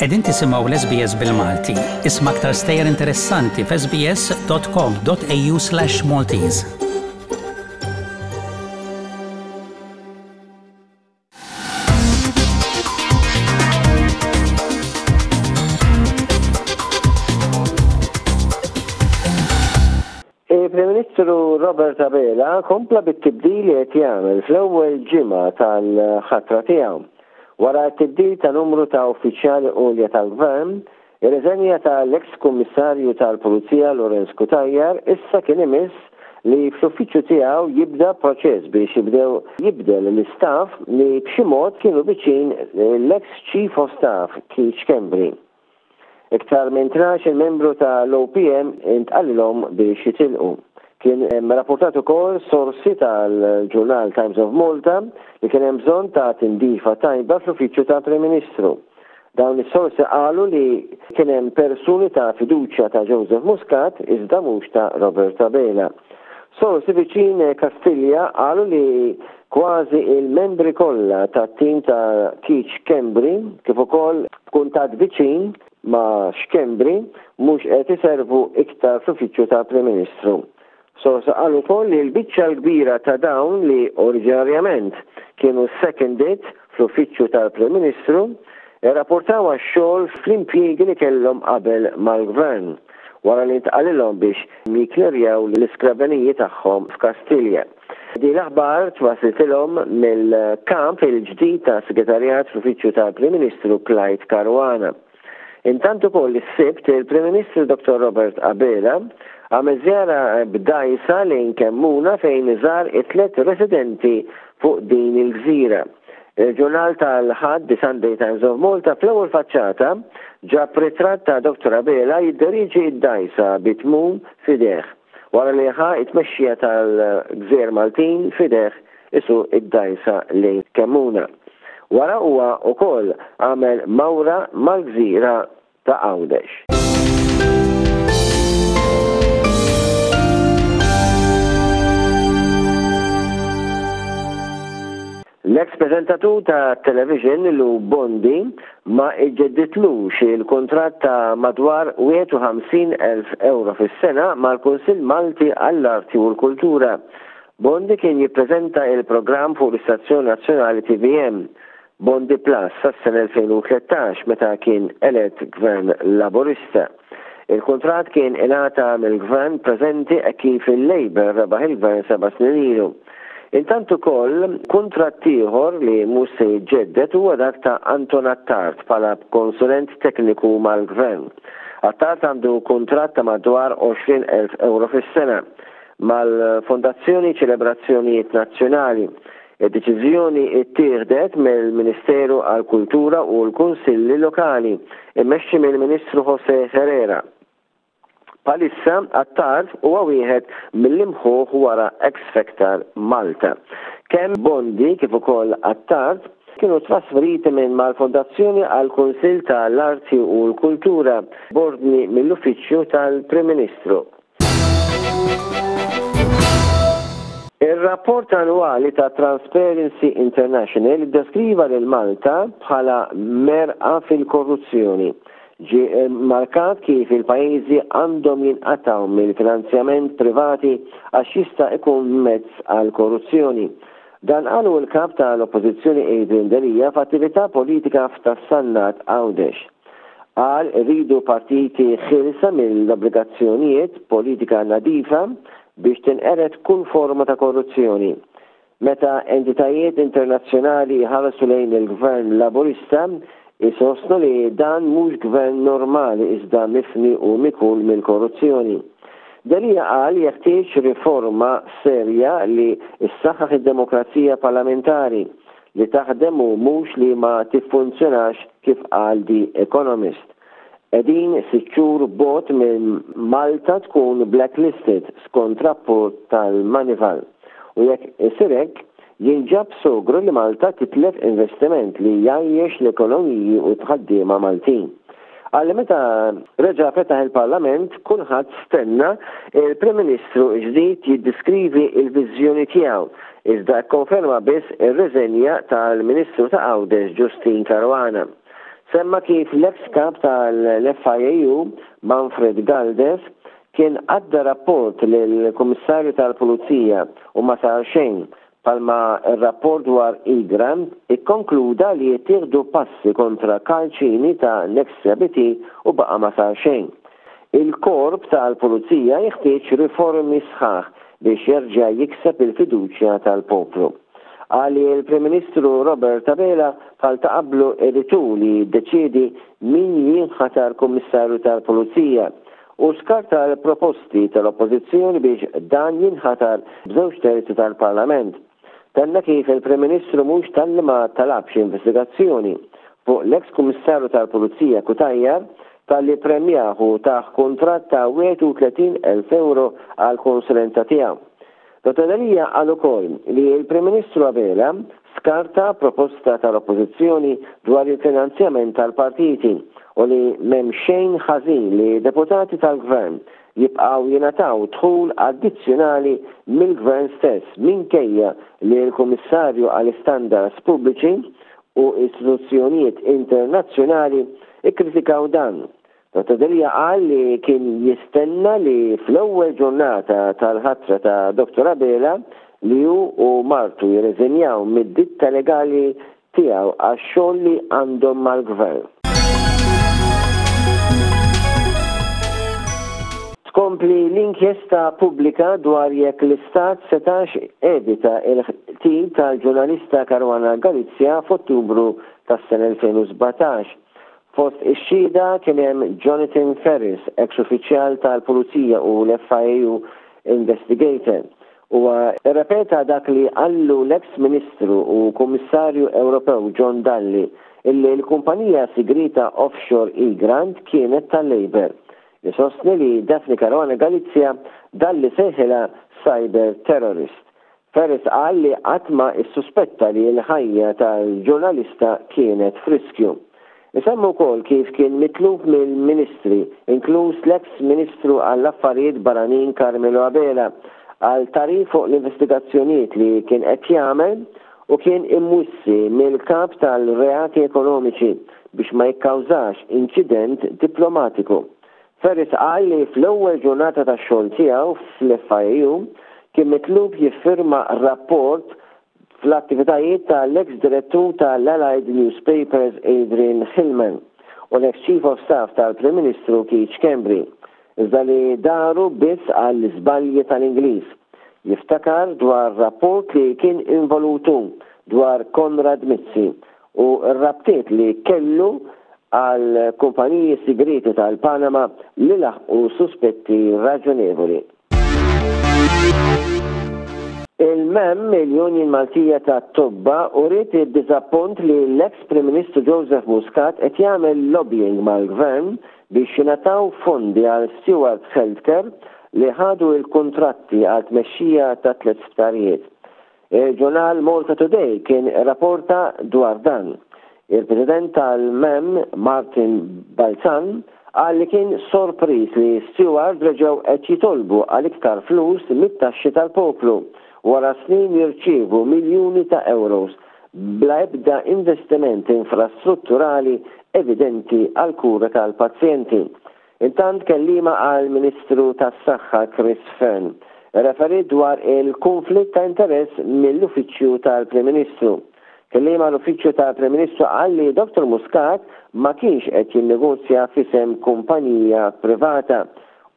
Qegħdin tisimgħu l-SBS bil-Malti. Isma' aktar stejjer interessanti f'sbs.com.au/maltese. Il-Prim Ministru Robert Abela kompla bit-tibdil li qed jagħmel fl-ewwel ġimgħa tal-ħatra tiegħu. Wara t-tibdil ta' numru ta' uffiċjali għolja tal-Gvern, ir-riżenja tal-eks Kummissarju tal Pulizija Lawrence Cutajar issa kien imiss li fl-uffiċċju tiegħu jibda proċess biex jibdew jibdel l-istaff li b'xi mod kienu viċin l-eks Chief of Staff Keith Schembri. Iktar minn 12-il membru ta' l-OPM intqalilhom biex jitilqu. Kien rappurtat ukoll sorsi tal-ġurnal Times of Malta li kien hemm bżonn ta' tindifa tajba fl-uffiċċju tal-Prim Ministru. Dawn is-sorsi qalu li kien hemm persuni ta' fiduċja ta' Joseph Muscat iżda mhux ta' Robert Abela. Sorsi viċin Kastilja qalu li Kważi il-membri kollha tat-tim ta' Keith Schembri kif ukoll b'kuntatt viċin ma' Schembri mhux qed iservu iktar fl-Uffiċċju tal-Prim Ministru. Sorsi qal ukoll li l-biċċa l-kbira ta' dawn li oriġinarjament kienu seconded fl-Uffiċċju tal-Prim Ministru rrapportaw għax-xogħol fl-impjiegi li kellhom qabel mal-Gvern wara li ntqalilhom biex jikklerjaw l-iskreveniji tagħhom f'Kastilja. Din l-aħbar twaslitilhom mill-Kap il-ġdid tas-Segretarjat fl-Uffiċċju tal-Prim Ministru Clyde Caruana. Intant ukoll is-Sibt il-Prim Ministru Dottor Robert Abela għamel żjara b'dgħajsa lejn Kemmuna fejn żar it-tlett residenti fuq din il-gżira. Il-ġurnal tal-Ħadd The Sunday Times of Malta fl-ewwel faċċata ġab ritratt ta' Dottor Abela jidderieġi d-dgħajsa bi tmum f'idejh. Wara li ħa t-tmexxija tal-Gżejjer Maltin f'idejh isuq id-dgħajsa lejn Kemmuna. Wara huwa wkoll għamel mawra mal-gżira ta' Għawdex. L-eks preżentatur tat-television Lou Bondi ma ġġedditlux il-kuntratt ta' madwar 51,000 ewro fis-sena mal-Kunsill Malti għall-Arti u l-Kultura. Bondi kien jippreżenta il-programm fuq l-istazzjon nazzjonali tvm, Bondi Plus sas-sena 2013 meta kien elett Gvern Laburista. Il-kuntratt kien ingħata mill-Gvern preżenti hekk kif il-Labour rebaħ il-Gvern seba' snin ilu. Intant ukoll, kuntratt ieħor li mhux se jiġġedded huwa dak ta' Anton Attard bħala konsulent tekniku mal-Gvern. Attard għandu kuntratt ta' madwar 20,000 ewro fis-sena mal-Fondazzjoni Ċelebrazzjonijiet Nazzjonali. Id-deċiżjoni ttieħdet mill-Ministeru għall-Kultura u l-Kunsilli Lokali, immexxi mill-Ministru José Herrera. Bħalissa, Attard huwa wieħed mill-imħuħ wara X Factor Malta. Kemm Bondi kif ukoll Attard kienu trasferiti minn mal-Fondazzjoni għall-Kunsill ta' l-Arti u l-Kultura b'ordni mill-Uffiċċju tal-Prim Ministru. Ir-rapport annwali ta' Transparency International iddeskriva lil Malta bħala merqa fil-korruzzjoni. Ġie rmarkat kif il-pajjiżi għandhom jinqatgħu mill-finanzjament privati għax jista' ikun mezz għall-korruzzjoni. Dan qalu l-Kap ta' l-Oppożizzjoni Adrian Delia f'attività politika f'Ta' Sannat Għawdex. Qal irridu partiti ħielsa mill-obbligazzjonijiet, politika nadifa biex tinqered kull forma ta' korruzzjoni. Meta entitajiet internazzjonali jħarsu lejn il-Gvern Laburista, isostnu li dan mhux Gvern normali iżda mifni u mikul mill-korruzzjoni. Delia qal jeħtieġ riforma serja li ssaħħaħ id-demokrazija parlamentari, li taħdem u mhux li ma tiffunzjonax kif qal The Economist. Qegħdin sitt xhur bogħod minn Malta tkun blacklisted skont rapport tal-Moneyval. U jekk isir hekk, jinġab sogru li Malta titlef investiment li jgħajjex l-ekonomiji u t-ħaddiema Maltin. Qal li meta reġa' fetaħ il-Parlament kulħadd stenna il-Prim Ministru ġdid jiddiskrivi l-viżjoni tiegħu iżda kkonferma biss ir-riżenja tal-Ministru ta' Għawdex Justyne Caruana. Semma kif l-eks kap tal-FIAU, Manfred Galdes, kien għadda rapport lill-Kummissarju tal-Pulizija u ma sar xejn, bħalma r-rapport dwar Egrant ikkonkluda li jittieħdu passi kontra Karl Cini ta' Nexia BT u baqa' ma sar xejn. Il-Korp tal-Pulizija jeħtieġ riformi sħaħ biex jerġa' jikseb il-fiduċja tal-poplu. Qal li l-Prim Ministru Robert Abela bħal ta' qablu irid hu li jiddeċiedi min jinħatar Kummissarju tal-Pulizija u skarta l-proposti tal-Oppożizzjoni biex dan jinħatar b'żewġ terzi tal-Parlament. Tenna kif il-Prim Ministru mhux talli ma talabx investigazzjoni fuq l-eks Kummissarju tal-Pulizija Cutajar talli ppremjah u tah kuntratt ta' 31,000 ewro għall-konsulenza tiegħu. Dottor Delia qal ukoll li l-Prim Ministru Abela skarta proposta tal-Oppożizzjoni dwar il-finanzjament tal-partiti u li m'hemm xejn ħażin li deputati tal-Gvern jibqgħu jingħataw dħul addizzjonali mill-Gvern stess minkejja li l-Kummissarju għall-Istandards Pubbliċi u istituzzjonijiet internazzjonali kkritikaw dan. Dottor Delia qal li kien jistenna li fl-ewwel ġurnata tal-ħatra ta' Dottor Abela li hu u martu jirreżenjaw mid-ditta legali tiegħu għax-xogħol li għandhom mal-Gvern. Tkompli l-inkjesta pubblika dwar jekk l-Istat setax evita l-qtil tal-ġurnalista Caruana Galizia f'Ottubru tas-sena 2017. Fost ix-xhieda kien hemm Jonathan Ferris, eks uffiċjal tal-Pulizija u l-FIAU investigator. Huwa rrepeta dak li qallu l-eks Ministru u Kummissarju Ewropew John Dalli illi l-kumpanija sigrieta offshore Egrant kienet tal-Labour. Isostni li Daphne Caruana Galizia Dalli sejħilha cyber terrorist. Ferris qal li qatt ma ssuspetta li l-ħajja tal-ġurnalista kienet f'riskju. Isemmi wkoll kif kien mitlub mill-Ministri, inkluż l-eks Ministru għall-Affarijiet Barranin Carmelo Abela, għal tagħrif fuq l-investigazzjonijiet li kien qed jagħmel u kien imwissi mill-Kap tal-Reati Ekonomiċi biex ma jikkawżax inċident diplomatiku. Ferris qal li fl-ewwel ġurnata tax-xogħol tiegħu fl-FIAU kien mitlub jiffirma rapport fl-attivitajiet ta' l-eks direttur ta' l-Allied Newspapers Adrian Hillman u l-eks Chief of Staff tal-Prim Ministru Keith Schembri, iżda li daru biss għall-iżbalji tal-Ingliż. Jiftakar dwar rapport li kien involut hu dwar Konrad Mizzi u r-rabtiet li kellu għal kumpaniji sigrieti tal-Panama li laħqu suspetti raġonevoli. Il-MEM, il-Union Maltija tat-Tobba, uriet id-diżappunt li l-eks Prim Ministru Joseph Muscat qed jagħmel lobbying mal-Gvern biex jingħataw fondi għal Steward Healthcare li ħadu l-kuntratti għal tmexxija ta' tlett sptarijiet. Il-ġurnal Malta Today kien irrapporta dwar dan. Il-President tal-MEM, Martin Balzan, qal li kien sorpriż li Steward reġgħu qed jitolbu għal iktar flus mit-taxxi tal-poplu wara snin jirċievu miljuni ta' euros bla ebda investiment infrastrutturali evidenti għall-kura tal-pazjenti. Intant kelliema għall-Ministru tas-Saħħa Chris Fearne rreferiet dwar il-kunflitt ta' interess mill-Uffiċċju tal-Prim Ministru. Kelliem għall-Uffiċċju tal-Prim Ministru qal li Dottor Muscat ma kienx qed jinnegozja f'isem kumpanija privata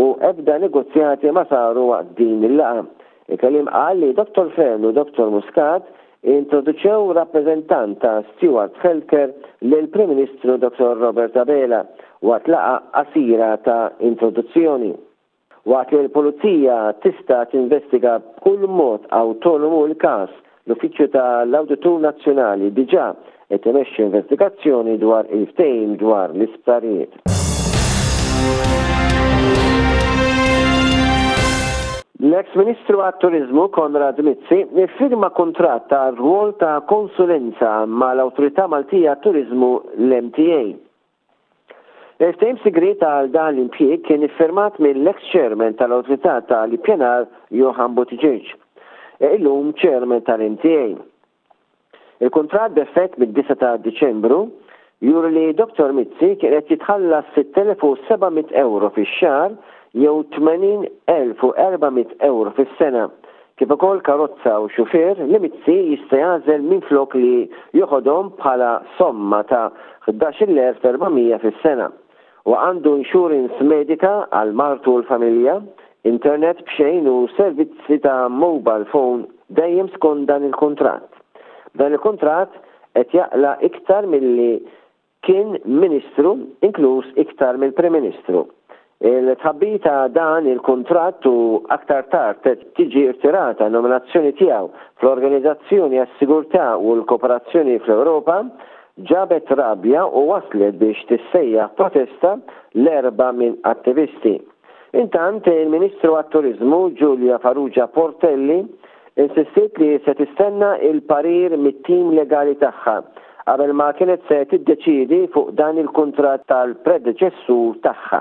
u ebda negozjati ma saru waqt din il-laqgħa. Il-kelliem qal li Dottor Fearne u Dottor Muscat introduċew rappreżentant ta' Steward Healthcare lill-Prim Ministru Dottor Robert Abela waqt laqgħa qasira ta' introduzzjoni. Waqt li l-Pulizija tista' tinvestiga b'kull mod awtonomu l-każ, l-Uffiċċju ta' l-Awditur Nazzjonali diġà qed imexxi investigazzjoni dwar il-ftehim dwar l-isptarijiet. L-eks Ministru għat-Turiżmu Konrad Mizzi iffirma kuntratt għal rwol ta' konsulenza mal-Awtorità Maltija għat-Turiżmu l-MTA. Il-ftehim sigriet għal dan l-impjieg kien iffirmat mill-eks Chairman tal-Awtorità tal-Ippjanar Johann Buttigieg, illum Chairman tal-MTA. Il-kuntratt b'effett mid-9 ta' Diċembru juri li Dottor Mizzi kien qed jitħallas 6,700 ewro fix-xahar jew 80,400 ewro fis-sena, kif ukoll karozza u xufier li Mizzi jista' jagħżel minflok li joħodhom bħala somma ta' 11,400 fis-sena. Huwa għandu insurance medika għal martu u l-familja, internet b'xejn u servizzi ta' mobile phone dejjem skont dan il-kuntratt. B'dan il-kuntratt qed jaqla' iktar milli kien Ministru, inkluż iktar mill-Prim Ministru. Il-tħabbir ta' dan il-kuntratt u aktar tard tiġi rtirata n-nominazzjoni tiegħu fl-Organizzazzjoni għas-Sigurtà u l-Kooperazzjoni fl-Ewropa ġabet rabja u wasslet biex tissejjaħ protesta l-Erbgħa minn attivisti. Intant, il-Ministru għat-Turiżmu Julia Farrugia Portelli insistiet li se tistenna l-parir mit-tim legali tagħha qabel ma kienet se tiddeċiedi fuq dan il-kuntratt tal-predeċessur tagħha.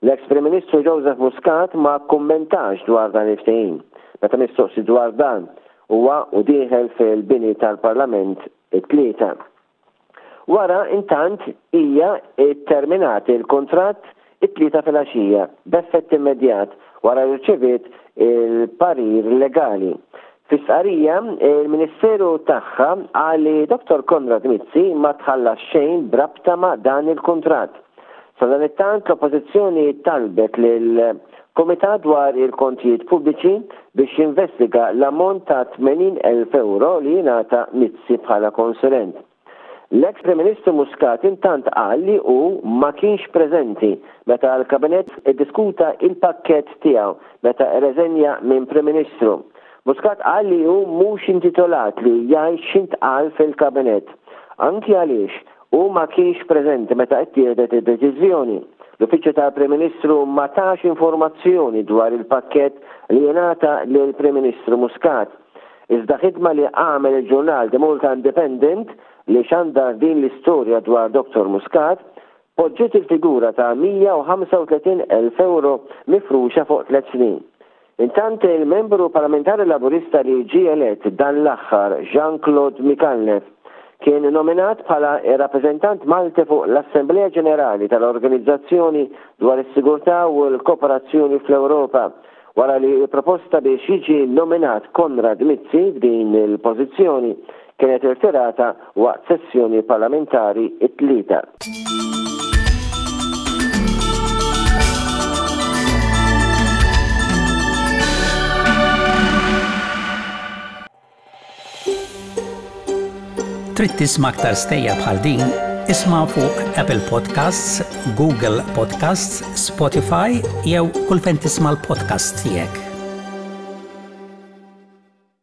L-eks Prim Ministru Joseph Muscat ma kkummentax dwar dan il-ftehim meta mistoqsi dwar dan huwa u dieħel fil-bini tal-Parlament it-Tlieta. Wara, intant, hija tterminat il-kuntratt it-Tlieta filgħaxija, b'effett immedjat, wara li rċeviet il-parir legali. Fi stqarrija, il-Ministeru tagħha qal li Dottor Konrad Mizzi ma tħallas xejn b'rabta ma' dan il-kuntratt. Sadanittant, l-Oppożizzjoni talbet lill-Kumitat dwar il-Kontijiet Pubbliċi biex jinvestiga l-ammont ta' 80,000 ewro li jingħata Mizzi bħala konsulent. L-eks Prim Ministru Muscat intant qal li hu ma kienx preżenti meta l-Kabinett iddiskuta il-pakkett tiegħu meta rreżenja minn Prim Ministru. Muscat qal li hu mhux intitolat li jgħid x'intqal fil-Kabinett, anki għaliex Hu ma kienx preżenti meta ttieħdet id-deċiżjoni. L-Uffiċċju tal-Prim Ministru ma tax informazzjoni dwar il-pakkett li ingħata lill-Prim Ministru Muscat. Iżda ħidma li għamel il-ġurnal The Malta Independent li xandar din l-istorja dwar Dottor Muscat, poġġiet il-figura ta' 135,000 ewro mifruxa fuq tlett snin. Intant il-Membru Parlamentari Laburista li ġie elett dan l-aħħar Jean Claude Micallef kien nominat bħala r-rappreżentant Malti fuq l-Assemblea Ġenerali tal-Organizzazzjoni dwar is-Sigurtà u l-Kooperazzjoni fl-Ewropa wara li l-proposta biex jiġi nominat Konrad Mizzi f'din il-pożizzjoni kienet irtirata waqt sessjoni parlamentari t-Tlieta. Trid tisma' aktar stejjer bħal din? Isma' fuq Apple Podcasts, Google Podcasts, Spotify jew kull fejn tisma' l-podcasts tiegħek.